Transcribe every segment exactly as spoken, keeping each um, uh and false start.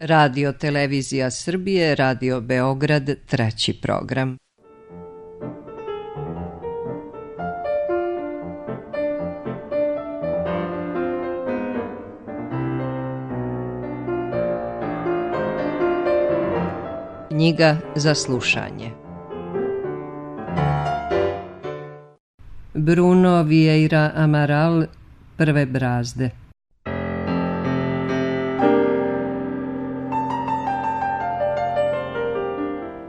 Radio Televizija Srbije, Radio Beograd, treći program. Knjiga za slušanje. Bruno Vieira Amaral, Prve brazde.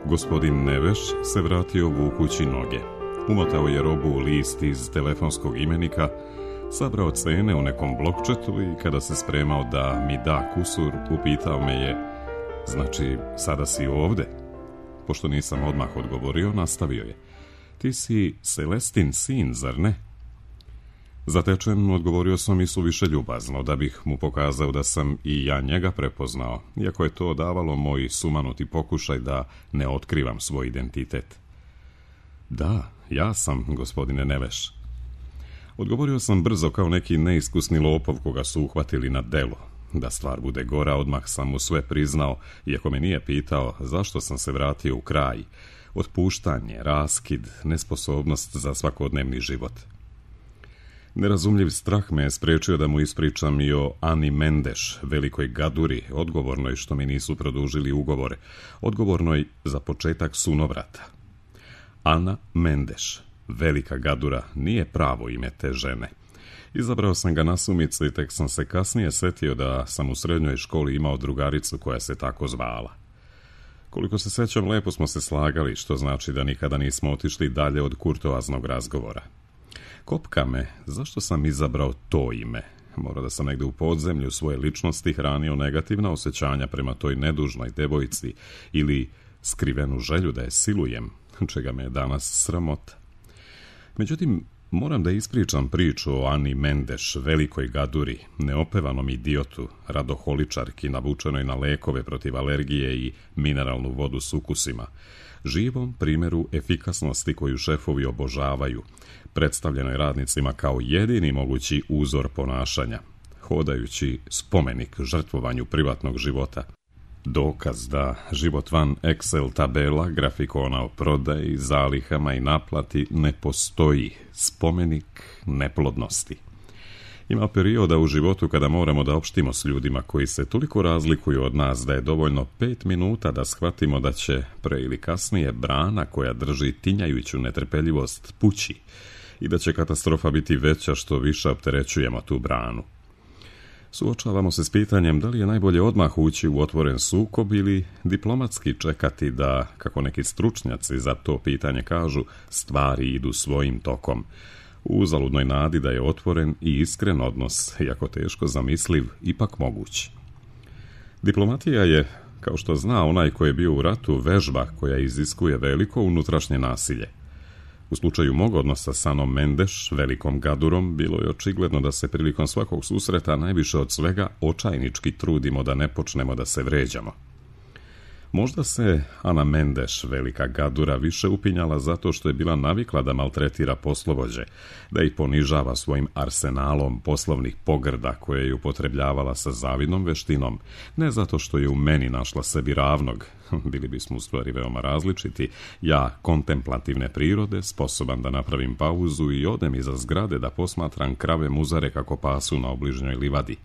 Gospodin Neveš se vratio vukući noge. Umotao je robu u list iz telefonskog imenika, sabrao cene u nekom blokčetu i kada se spremao da mi da kusur, upitao me je: znači, sada si ovde? Pošto nisam odmah odgovorio, nastavio je: ti si Celestin sin, zar ne? Zatečen, odgovorio sam i suviše ljubazno, da bih mu pokazao da sam i ja njega prepoznao, iako je to davalo moj sumanuti pokušaj da ne otkrivam svoj identitet. Da, ja sam, gospodine Neveš. Odgovorio sam brzo kao neki neiskusni lopov koga su uhvatili na delu. Da stvar bude gora, odmah sam mu sve priznao, iako me nije pitao zašto sam se vratio u kraj. Otpuštanje, raskid, nesposobnost za svakodnevni život. Nerazumljiv strah me je sprečio da mu ispričam i o Ani Mendeš, velikoj gaduri, odgovornoj što mi nisu produžili ugovore, odgovornoj za početak sunovrata. Ana Mendeš, velika gadura, nije pravo ime te žene. Izabrao sam ga nasumice i tek sam se kasnije setio da sam u srednjoj školi imao drugaricu koja se tako zvala. Koliko se sećam, lepo smo se slagali, što znači da nikada nismo otišli dalje od kurtoaznog razgovora. Kopka me, zašto sam izabrao to ime? Mora da sam negde u podzemlju svoje ličnosti hranio negativna osjećanja prema toj nedužnoj devojci ili skrivenu želju da je silujem, čega me je danas sramota. Međutim, moram da ispričam priču o Ani Mendeš, velikoj gaduri, neopevanom idiotu, radoholičarki navučenoj na lekove protiv alergije i mineralnu vodu s ukusima, živom primjeru efikasnosti koju šefovi obožavaju, predstavljenoj radnicima kao jedini mogući uzor ponašanja, hodajući spomenik žrtvovanju privatnog života. Dokaz da život van Excel tabela, grafikona o prodaji, zalihama i naplati ne postoji, spomenik neplodnosti. Ima perioda u životu kada moramo da opštimo s ljudima koji se toliko razlikuju od nas da je dovoljno pet minuta da shvatimo da će pre ili kasnije brana koja drži tinjajuću netrpeljivost pući i da će katastrofa biti veća što više opterećujemo tu branu. Suočavamo se s pitanjem da li je najbolje odmah ući u otvoren sukob ili diplomatski čekati da, kako neki stručnjaci za to pitanje kažu, stvari idu svojim tokom, u uzaludnoj nadi da je otvoren i iskren odnos, iako teško zamisliv, ipak moguć. Diplomatija je, kao što zna onaj koji je bio u ratu, vežba koja iziskuje veliko unutrašnje nasilje. U slučaju mog odnosa s Anom Mendeš, velikom gadurom, bilo je očigledno da se prilikom svakog susreta najviše od svega očajnički trudimo da ne počnemo da se vređamo. Možda se Ana Mendeš, velika gadura, više upinjala zato što je bila navikla da maltretira poslovođe, da ih ponižava svojim arsenalom poslovnih pogrda koje je upotrebljavala sa zavidnom veštinom, ne zato što je u meni našla sebi ravnog, bili bismo u stvari veoma različiti, ja kontemplativne prirode, sposoban da napravim pauzu i odem iza zgrade da posmatram krave muzare kako pasu na obližnjoj livadi.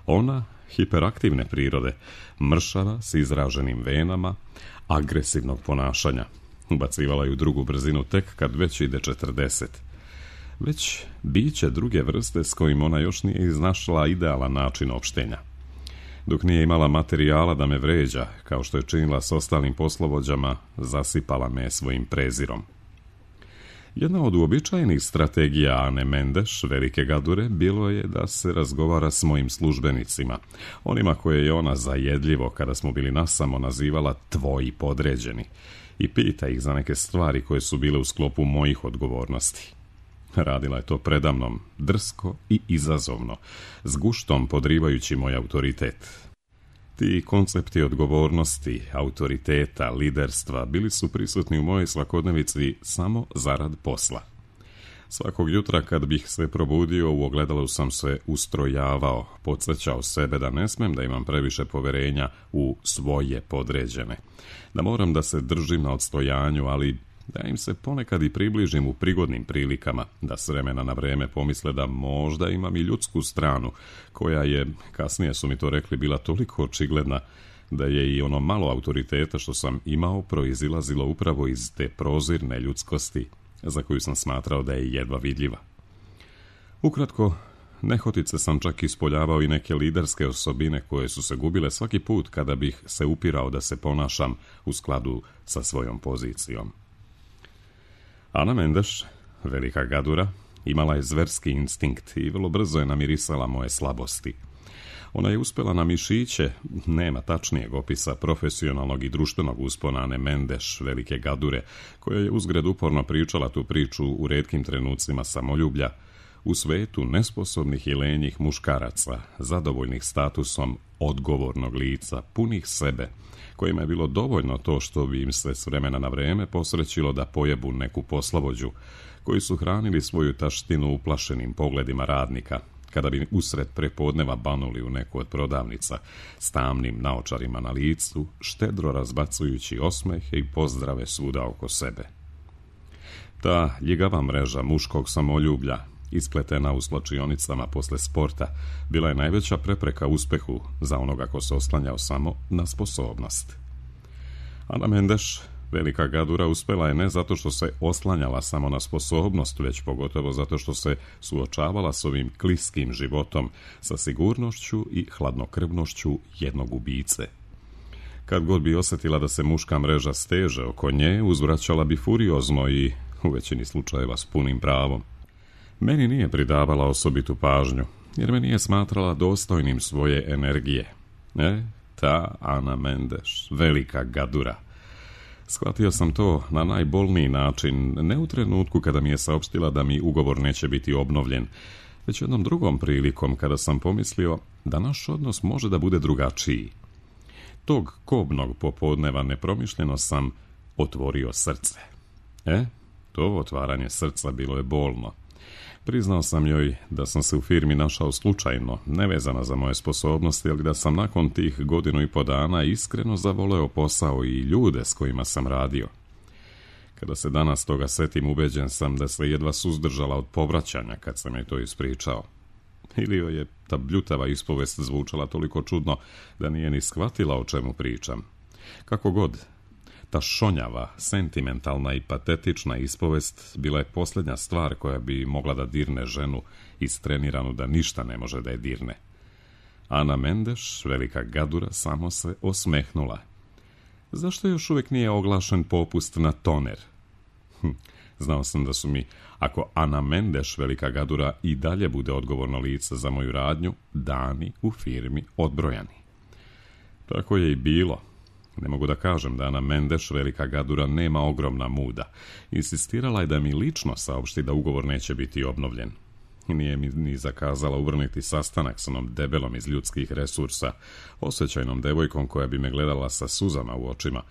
Ona, hiperaktivne prirode, mršava s izraženim venama, agresivnog ponašanja. Ubacivala ju drugu brzinu tek kad već ide četrdeset. Već biće druge vrste s kojim ona još nije iznašla idealan način opštenja. Dok nije imala materijala da me vređa, kao što je činila s ostalim poslovođama, zasipala me svojim prezirom. Jedna od uobičajenih strategija Ane Mendeš, velike gadure, bilo je da se razgovara s mojim službenicima, onima koje je ona zajedljivo, kada smo bili nasamo, nazivala tvoji podređeni, i pita ih za neke stvari koje su bile u sklopu mojih odgovornosti. Radila je to predamnom, drsko i izazovno, s guštom podrivajući moj autoritet. Ti koncepti odgovornosti, autoriteta, liderstva bili su prisutni u mojoj svakodnevici samo zarad posla. Svakog jutra kad bih se probudio u ogledalu sam se ustrojavao, podsjećao sebe da ne smem da imam previše poverenja u svoje podređene, da moram da se držim na odstojanju, ali da im se ponekad i približim u prigodnim prilikama, da s vremena na vreme pomisle da možda imam i ljudsku stranu, koja je, kasnije su mi to rekli, bila toliko očigledna da je i ono malo autoriteta što sam imao proizilazilo upravo iz te prozirne ljudskosti za koju sam smatrao da je jedva vidljiva. Ukratko, nehotice sam čak ispoljavao i neke liderske osobine koje su se gubile svaki put kada bih se upirao da se ponašam u skladu sa svojom pozicijom. Ana Mendeš, velika gadura, imala je zverski instinkt i vrlo brzo je namirisala moje slabosti. Ona je uspjela na mišiće, nema tačnijeg opisa profesionalnog i društvenog uspona Ane Mendeš, velike gadure, koja je uzgred uporno pričala tu priču u retkim trenucima samoljublja, u svetu nesposobnih i lenjih muškaraca, zadovoljnih statusom odgovornog lica, punih sebe, kojima je bilo dovoljno to što bi im se s vremena na vreme posrećilo da pojebu neku poslovođu, koji su hranili svoju taštinu uplašenim pogledima radnika, kada bi usred prepodneva banuli u neku od prodavnica s tamnim naočarima na licu, štedro razbacujući osmehe i pozdrave svuda oko sebe. Ta ljigava mreža muškog samoljublja, ispletena u slačionicama posle sporta, bila je najveća prepreka uspehu za onoga ko se oslanjao samo na sposobnost. Ana Mendeš, velika gadura, uspjela je ne zato što se oslanjala samo na sposobnost, već pogotovo zato što se suočavala s ovim kliskim životom, sa sigurnošću i hladnokrvnošću jednog ubice. Kad god bi osjetila da se muška mreža steže oko nje, uzvraćala bi furiozno i u većini slučajeva s punim pravom. Meni nije pridavala osobitu pažnju, jer me nije smatrala dostojnim svoje energije. E, ta Ana Mendeš, velika gadura. Shvatio sam to na najbolniji način, ne u trenutku kada mi je saopštila da mi ugovor neće biti obnovljen, već jednom drugom prilikom kada sam pomislio da naš odnos može da bude drugačiji. Tog kobnog popodneva nepromišljeno sam otvorio srce. E, to otvaranje srca bilo je bolno. Priznao sam joj da sam se u firmi našao slučajno, nevezana za moje sposobnosti, ali da sam nakon tih godinu i po dana iskreno zavoleo posao i ljude s kojima sam radio. Kada se danas toga setim, ubeđen sam da se jedva suzdržala od povraćanja kad sam joj to ispričao. Ili joj je ta bljutava ispovest zvučala toliko čudno da nije ni shvatila o čemu pričam. Kako god, ta šonjava, sentimentalna i patetična ispovest bila je posljednja stvar koja bi mogla da dirne ženu istreniranu da ništa ne može da je dirne. Ana Mendeš, velika gadura, samo se osmehnula. Zašto još uvijek nije oglašen popust na toner? Hm, znao sam da su mi, ako Ana Mendeš, velika gadura, i dalje bude odgovorno lice za moju radnju, dani u firmi odbrojani. Tako je i bilo. Ne mogu da kažem da Ana Mendeš, velika gadura, nema ogromna muda. Insistirala je da mi lično saopšti da ugovor neće biti obnovljen. Nije mi ni zakazala uvrniti sastanak s onom debelom iz ljudskih resursa, osjećajnom devojkom koja bi me gledala sa suzama u očima,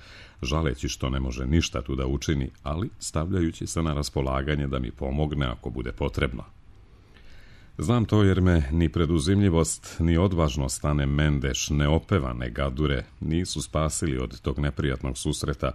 žaleći što ne može ništa tu da učini, ali stavljajući se na raspolaganje da mi pomogne ako bude potrebno. Znam to jer me ni preduzimljivost, ni odvažnost Ane Mendeš, neopevane gadure, nisu spasili od tog neprijatnog susreta,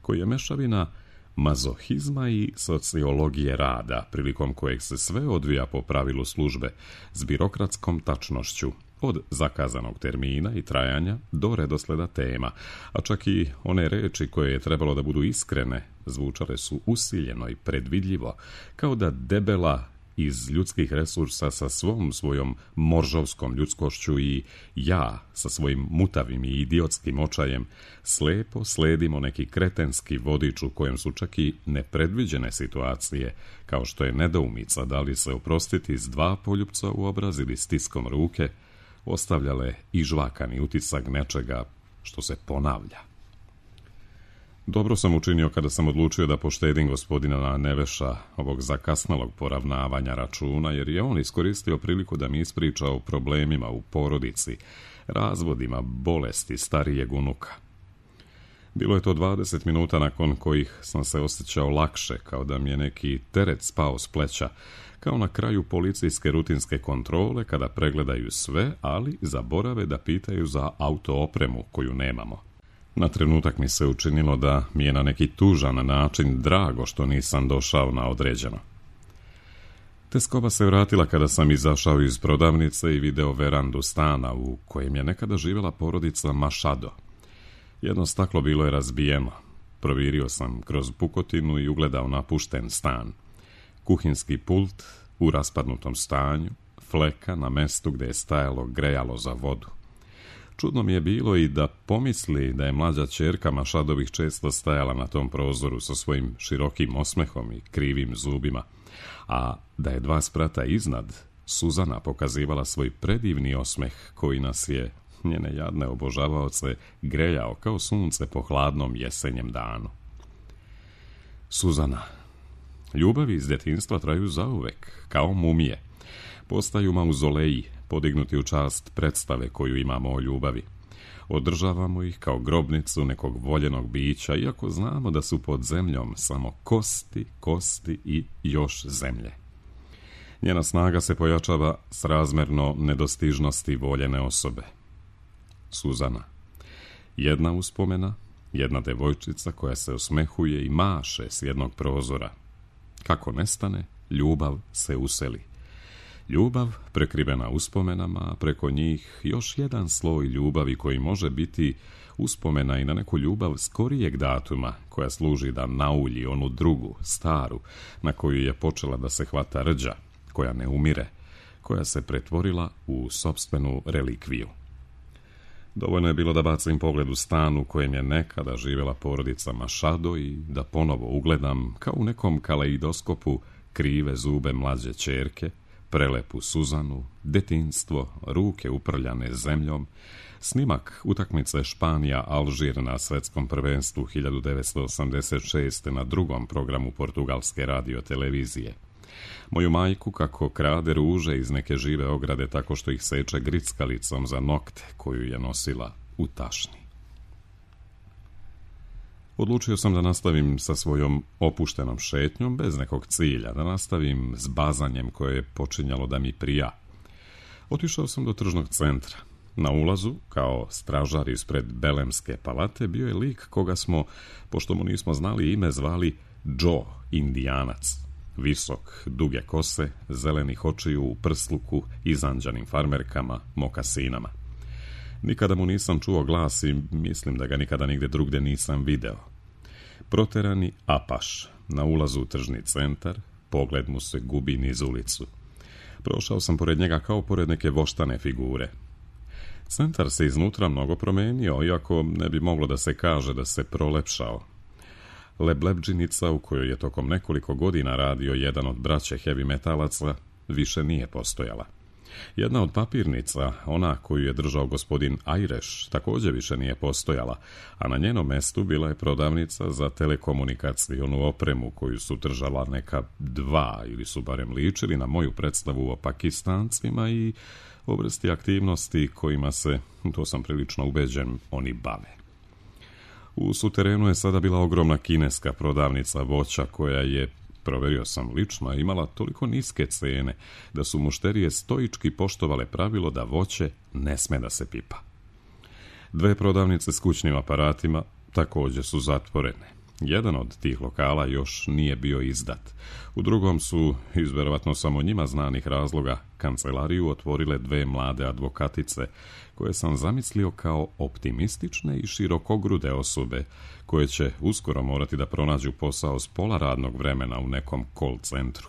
koji je mešavina mazohizma i sociologije rada, prilikom kojeg se sve odvija po pravilu službe, s birokratskom tačnošću, od zakazanog termina i trajanja do redosleda tema, a čak i one reči koje je trebalo da budu iskrene, zvučale su usiljeno i predvidljivo, kao da debela iz ljudskih resursa sa svom svojom moržovskom ljudskošću i ja sa svojim mutavim i idiotskim očajem slepo sledimo neki kretenski vodič u kojem su čak i nepredviđene situacije, kao što je nedoumica da li se oprostiti s dva poljupca u obraz ili stiskom ruke, ostavljale i žvakani utisak nečega što se ponavlja. Dobro sam učinio kada sam odlučio da poštedim gospodina Neveša, ovog zakasnalog poravnavanja računa, jer je on iskoristio priliku da mi ispriča o problemima u porodici, razvodima, bolesti starijeg unuka. Bilo je to dvadeset minuta nakon kojih sam se osjećao lakše, kao da mi je neki teret spao s pleća, kao na kraju policijske rutinske kontrole kada pregledaju sve, ali zaborave da pitaju za auto opremu koju nemamo. Na trenutak mi se učinilo da mi je na neki tužan način drago što nisam došao na određeno. Teskoba se vratila kada sam izašao iz prodavnice i video verandu stana u kojem je nekada živjela porodica Machado. Jedno staklo bilo je razbijeno. Provirio sam kroz pukotinu i ugledao napušten stan. Kuhinski pult u raspadnutom stanju, fleka na mestu gdje je stajalo grejalo za vodu. Čudno mi je bilo i da pomisli da je mlađa ćerka Mašadovih često stajala na tom prozoru sa svojim širokim osmehom i krivim zubima, a da je dva sprata iznad Suzana pokazivala svoj predivni osmeh koji nas je, njene jadne obožavaoce, grejao kao sunce po hladnom jesenjem danu. Suzana. Ljubavi iz djetinjstva traju zauvek, kao mumije. Postaju mauzoleji, podignuti u čast predstave koju imamo o ljubavi. Održavamo ih kao grobnicu nekog voljenog bića, iako znamo da su pod zemljom samo kosti, kosti i još zemlje. Njena snaga se pojačava srazmerno nedostižnosti voljene osobe. Suzana. Jedna uspomena, jedna devojčica koja se osmehuje i maše s jednog prozora. Kako nestane, ljubav se useli. Ljubav prekrivena uspomenama, a preko njih još jedan sloj ljubavi koji može biti uspomena i na neku ljubav skorijeg datuma koja služi da naulji onu drugu, staru, na koju je počela da se hvata rđa, koja ne umire, koja se pretvorila u sopstvenu relikviju. Dovoljno je bilo da bacim pogled u stan u kojem je nekada živjela porodica Machado i da ponovo ugledam, kao u nekom kaleidoskopu, krive zube mlađe ćerke, prelepu Suzanu, detinjstvo, ruke uprljane zemljom, snimak utakmice Španija-Alžir na svetskom prvenstvu hiljadu devetsto osamdeset šeste. na drugom programu portugalske radiotelevizije. Moju majku kako krade ruže iz neke žive ograde tako što ih seče grickalicom za nokte koju je nosila u tašni. Odlučio sam da nastavim sa svojom opuštenom šetnjom bez nekog cilja, da nastavim s bazanjem koje je počinjalo da mi prija. Otišao sam do tržnog centra. Na ulazu, kao stražar ispred Belemske palate, bio je lik koga smo, pošto mu nismo znali ime, zvali Joe, Indijanac. Visok, duge kose, zelenih očiju u prsluku, izanđanim farmerkama, mokasinama. Nikada mu nisam čuo glas i mislim da ga nikada nigde drugde nisam video. Proterani apaš, na ulazu u tržni centar, pogled mu se gubi niz ulicu. Prošao sam pored njega kao pored neke voštane figure. Centar se iznutra mnogo promenio, iako ne bi moglo da se kaže da se prolepšao. Leblebdžinica u kojoj je tokom nekoliko godina radio jedan od braće heavy metalaca više nije postojala. Jedna od papirnica, ona koju je držao gospodin Ajreš, također više nije postojala, a na njenom mestu bila je prodavnica za telekomunikacijonu opremu koju su držala neka dva, ili su barem ličili na moju predstavu o Pakistancima i o vrsti aktivnosti kojima se, to sam prilično ubeđen, oni bave. U suterenu je sada bila ogromna kineska prodavnica voća koja je, proverio sam lično, imala toliko niske cene da su mušterije stoički poštovale pravilo da voće ne sme da se pipa. Dve prodavnice s kućnim aparatima također su zatvorene. Jedan od tih lokala još nije bio izdat. U drugom su, iz verovatno samo njima znanih razloga, kancelariju otvorile dve mlade advokatice, koje sam zamislio kao optimistične i širokogrude osobe, koje će uskoro morati da pronađu posao s pola radnog vremena u nekom call centru.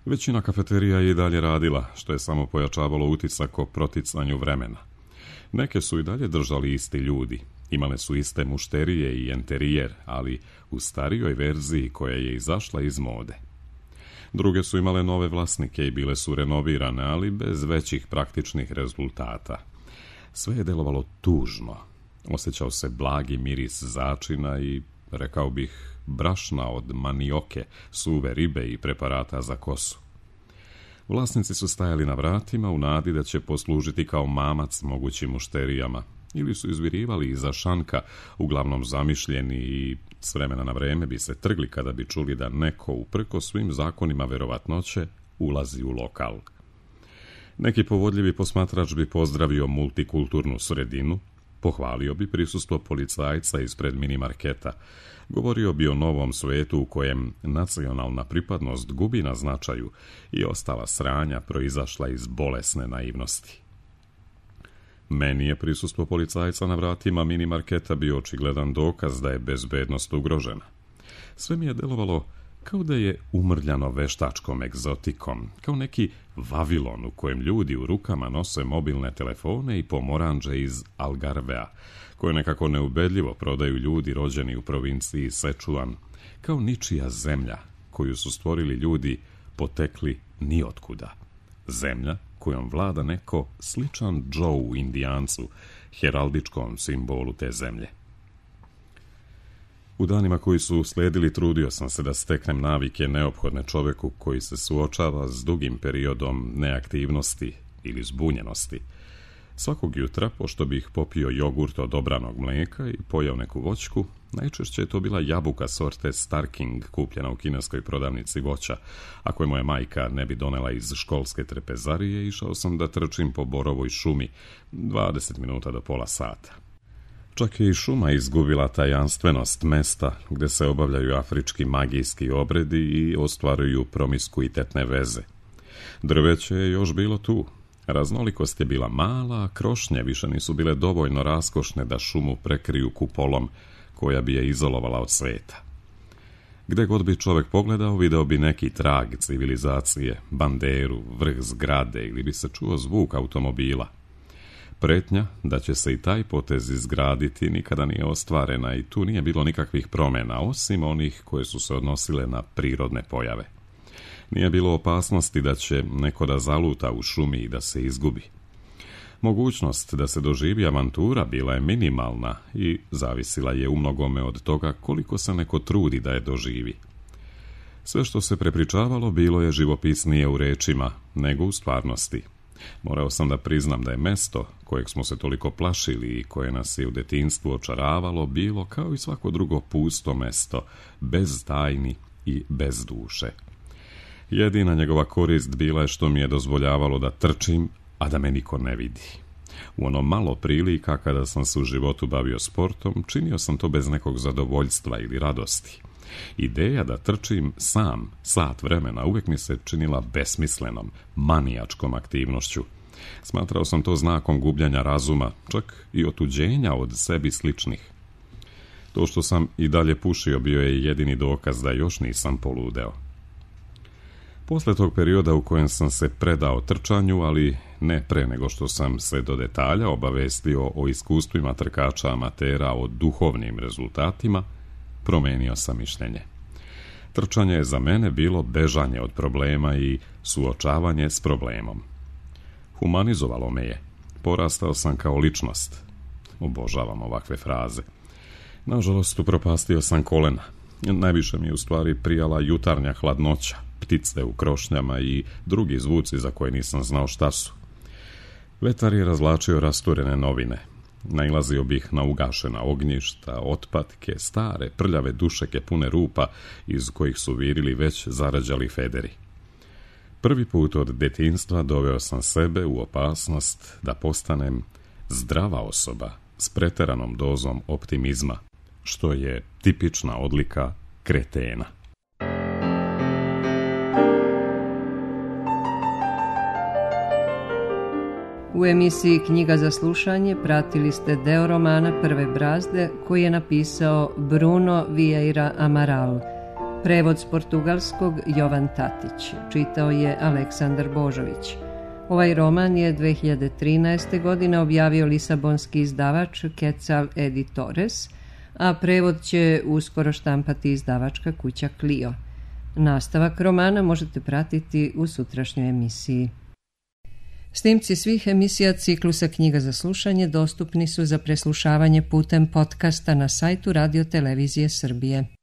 Većina kafeterija je i dalje radila, što je samo pojačavalo utisak o proticanju vremena. Neke su i dalje držali isti ljudi. Imale su iste mušterije i enterijer, ali u starijoj verziji koja je izašla iz mode. Druge su imale nove vlasnike i bile su renovirane, ali bez većih praktičnih rezultata. Sve je delovalo tužno. Osjećao se blagi miris začina i, rekao bih, brašna od manioke, suve ribe i preparata za kosu. Vlasnici su stajali na vratima u nadi da će poslužiti kao mamac mogućim mušterijama, ili su izvirivali iza šanka, uglavnom zamišljeni i s vremena na vreme bi se trgli kada bi čuli da neko, uprko svim zakonima verovatnoće, ulazi u lokal. Neki povodljivi posmatrač bi pozdravio multikulturnu sredinu, pohvalio bi prisustvo policajca ispred minimarketa, govorio bi o novom svetu u kojem nacionalna pripadnost gubi na značaju i ostala sranja proizašla iz bolesne naivnosti. Meni je prisustvo policajca na vratima minimarketa bio očigledan dokaz da je bezbednost ugrožena. Sve mi je delovalo kao da je umrljano veštačkom egzotikom, kao neki Vavilon u kojem ljudi u rukama nose mobilne telefone i pomoranđe iz Algarvea, koje nekako neubedljivo prodaju ljudi rođeni u provinciji Sečuan, kao ničija zemlja koju su stvorili ljudi potekli niotkuda. Zemlja kojom vlada neko sličan Joe Indijancu, heraldičkom simbolu te zemlje. U danima koji su slijedili trudio sam se da steknem navike neophodne čoveku koji se suočava s dugim periodom neaktivnosti ili zbunjenosti. Svakog jutra, pošto bih popio jogurt od obranog mlijeka i pojeo neku voćku, najčešće je to bila jabuka sorte Starking kupljena u kineskoj prodavnici voća. Ako je moja majka ne bi donela iz školske trpezarije, išao sam da trčim po borovoj šumi dvadeset minuta do pola sata. Čak je i šuma izgubila tajanstvenost mesta gde se obavljaju afrički magijski obredi i ostvaruju promiskuitetne veze. Drveće je još bilo tu. Raznolikost je bila mala, a krošnje više nisu bile dovoljno raskošne da šumu prekriju kupolom koja bi je izolovala od sveta. Gde god bi čovek pogledao, video bi neki trag civilizacije, banderu, vrh zgrade ili bi se čuo zvuk automobila. Pretnja da će se i taj potez izgraditi nikada nije ostvarena i tu nije bilo nikakvih promjena, osim onih koje su se odnosile na prirodne pojave. Nije bilo opasnosti da će neko da zaluta u šumi i da se izgubi. Mogućnost da se doživi avantura bila je minimalna i zavisila je umnogome od toga koliko se neko trudi da je doživi. Sve što se prepričavalo bilo je živopisnije u rečima nego u stvarnosti. Morao sam da priznam da je mesto kojeg smo se toliko plašili i koje nas je u detinjstvu očaravalo bilo kao i svako drugo pusto mesto, bez tajni i bez duše. Jedina njegova korist bila je što mi je dozvoljavalo da trčim, a da me niko ne vidi. U ono malo prilika kada sam se u životu bavio sportom, činio sam to bez nekog zadovoljstva ili radosti. Ideja da trčim sam sat vremena uvijek mi se činila besmislenom, manijačkom aktivnošću. Smatrao sam to znakom gubljenja razuma, čak i otuđenja od sebi sličnih. To što sam i dalje pušio bio je jedini dokaz da još nisam poludeo. Posle tog perioda u kojem sam se predao trčanju, ali ne pre nego što sam se do detalja obavestio o iskustvima trkača amatera, o duhovnim rezultatima, promenio sam mišljenje. Trčanje je za mene bilo bežanje od problema i suočavanje s problemom. Humanizovalo me je. Porastao sam kao ličnost. Obožavam ovakve fraze. Nažalost, upropastio sam kolena. Najviše mi je u stvari prijala jutarnja hladnoća, ptice u krošnjama i drugi zvuci za koje nisam znao šta su. Vetar je razvlačio rasturene novine. Nailazio bih na ugašena ognjišta, otpatke, stare, prljave dušeke pune rupa iz kojih su virili već zarađali federi. Prvi put od detinjstva doveo sam sebe u opasnost da postanem zdrava osoba s preteranom dozom optimizma, što je tipična odlika kretena. U emisiji Knjiga za slušanje pratili ste deo romana Prve brazde koji je napisao Bruno Vieira Amaral. Prevod s portugalskog Jovan Tatić. Čitao je Aleksandar Božović. Ovaj roman je dve hiljade trinaeste. godine objavio lisabonski izdavač Quetzal Editores, a prevod će uskoro štampati izdavačka kuća Clio. Nastavak romana možete pratiti u sutrašnjoj emisiji. Snimci svih emisija ciklusa Knjiga za slušanje dostupni su za preslušavanje putem podcasta na sajtu Radio Televizije Srbije.